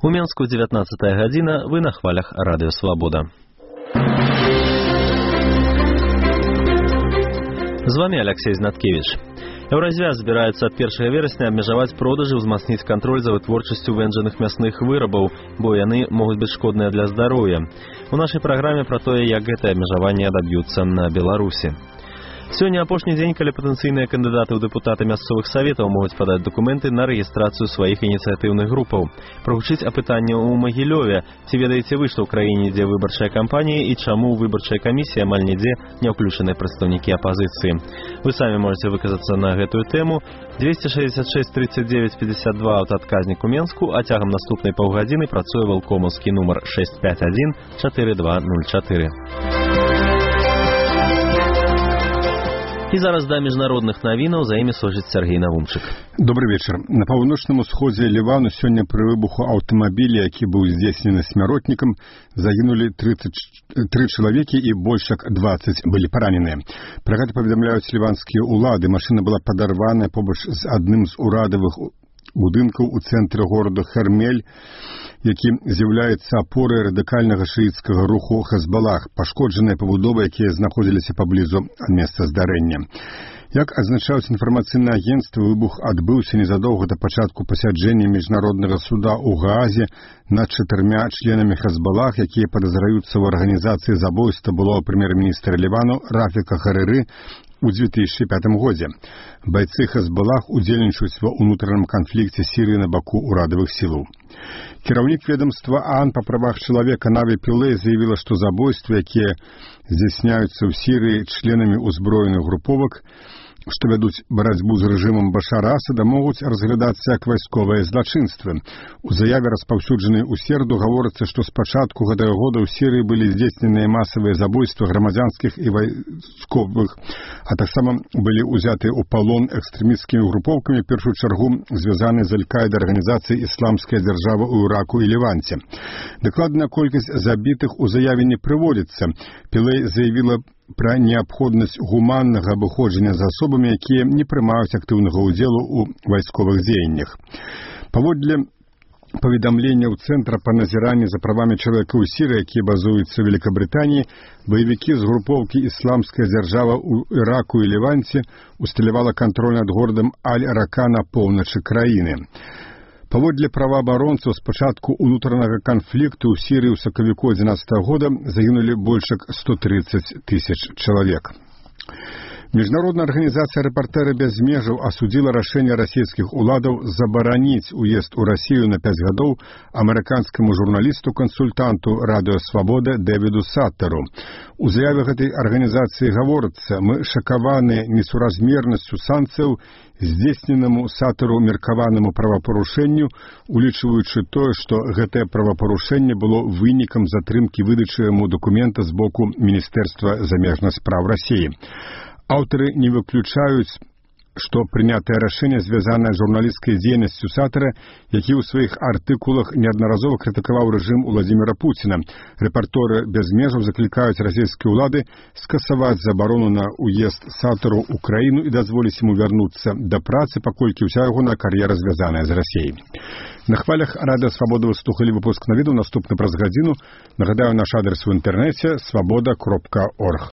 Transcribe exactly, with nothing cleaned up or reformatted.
У Менску дзевятнаццатая гадзіна, вы на хвалях Радыё Свабода. З вами Алексей Знаткевич. Еўразвяз збіраецца ад першага верасня абмежаваць продажы, ўзмацніць кантроль за вытворчасцю вэнджаных мясных вырабаў, бо яны могуць быць шкодныя для здароўя. У нашай праграме пра тое, як гэтае абмежаванне адаб'юцца на Беларусі. Сёння апошні дзень, калі патэнцыйныя кандыдаты ў дэпутаты мясцовых саветаў могуць падаць дакументы на рэгістрацыю сваіх ініцыятыўных групаў. Прагучыць апытанне ў Магілёве. Ці ведаеце вы, што ў краіне ідзе выбарчая кампанія і чаму ў выбарчай камісіі амаль нідзе не ўключаны прадстаўнікі апазіцыі? Вы самі можаце выказацца на гэтую тэму. двести шестьдесят шесть тридцать девять пятьдесят два аўтаадказнік у Менску, а цягам наступнай паўгадзіны працуе валкомаўскі нумар шесть пять один четыре два ноль четыре. І зараз да міжнародных навінаў, за імі служыць Сергей Навумчык. Добрый вечар. На паўночным усходзе Лівану сёння пры выбуху аўтамабіля, які быў здзейснены смяротнікам, загінулі тридцать три чалавекі і больш як двадцать былі параненыя. Пра гэта паведамляюць ліванскія ўлады. Машына была падарваная побач з адным з урадавых будынкаў у цэнтры горада Хермель, які з'яўляецца апорай радыкальнага шыіцкага руху Хезбалах, пашкоджаныя пабудовы, якія знаходзіліся паблізу ад месца здарэння. Як азначаюць інфармацыйныя агенцтвы, выбух адбыўся незадоўга да пачатку пасяджэння міжнароднага суда ў Гаазе над чатырма членамі Хезбалах, якія падазраюцца ў арганізацыі забойства былога прэм'ер-міністра Лівану Рафіка Харыры у две тысячи пятым годзе. Байцы Хезбалах удзельнічаюць ва ўнутраным канфлікце Сірыі на баку ўрадавых сілаў. Кіраўнік ведомства ААН па правах чалавека Наві Пілэй заявіла, што забойствы, якія здзяйсняюцца ў Сірыі членамі ўзброеных груповак, што вядуць барацьбу з рэжымам Башара Асада, могуць разглядацца як вайсковыя злачынствы. У заяве, распаўсюджанай у сераду, гаворыцца, што з пачатку гэтага года ў Сірыі былі здзейсненыя масавыя забойствы грамадзянскіх і вайсковых, а таксама былі ўзятыя ў палон экстрэмісцкімі групоўкамі, в першую чаргу звязаныя з Аль-Каідай арганізацыяй «Ісламская дзяржава» ў Іраку і Леванце. Дакладная колькасць забітых у заяве не прыводзіцца. Пілэй заявіла пра неабходнасць гуманнага абыходжання з асобамі, якія не прымаюць актыўнага ўдзелу ў вайсковых дзеяннях. Паводле паведамленняў Цэнтра па назіранні за правамі чалавека ў Сірыі, які базуецца ў Великабрытаніі, баевікі з групоўкі «Ісламская дзяржава» ў Іраку і Леванце усталявала кантроль над горадам Аль-Рака на поўначы краіны. Паводле праваабаронцаў, з пачатку ўнутранага канфлікту ў Сірыі ў сакавіку адзінаццатага года загінулі больш як сто тридцать тысяч чалавек. Міжнародная арганізацыя «Рэпартэры без межаў» асудзіла рашэнне расійскіх уладаў забараніць уезд у Расію на пяць гадоў амерыканскаму журналісту-кансультанту Радыё Свабода Дэвіду Саттару. У заяве гэтай арганізацыі гаворыцца: «Мы шакаваны несуразмернасцю санкцыяў, здзейсненаму Саттару меркаванаму правапарушэнню, улічваючы тое, што гэтае правапарушэнне было вынікам затрымкі выдачы яму дакумента з боку Міністэрства замежных спраў Расіі». Аўтары не выключаюць, што прынятае рашэнне звязанае з журналісцкай дзейнасцю Саттара, які ў сваіх артыкулах неаднаразова крытыкаваў рэжым Уладзіміра Пуціна. Рэпарторы без межаў заклікаюць расійскія ўлады скасаваць забарону на ўезд Саттару ў краіну і дазволіць яму вярнуцца да працы, паколькі ўся ягоная кар'ера звязаная з Расіяй. На хвалях Радыё Свабода вы слухалі выпуск навідаў, наступны праз гадзіну. Нагадаю, наш адрес у інтэрнэце свабода кропка орг.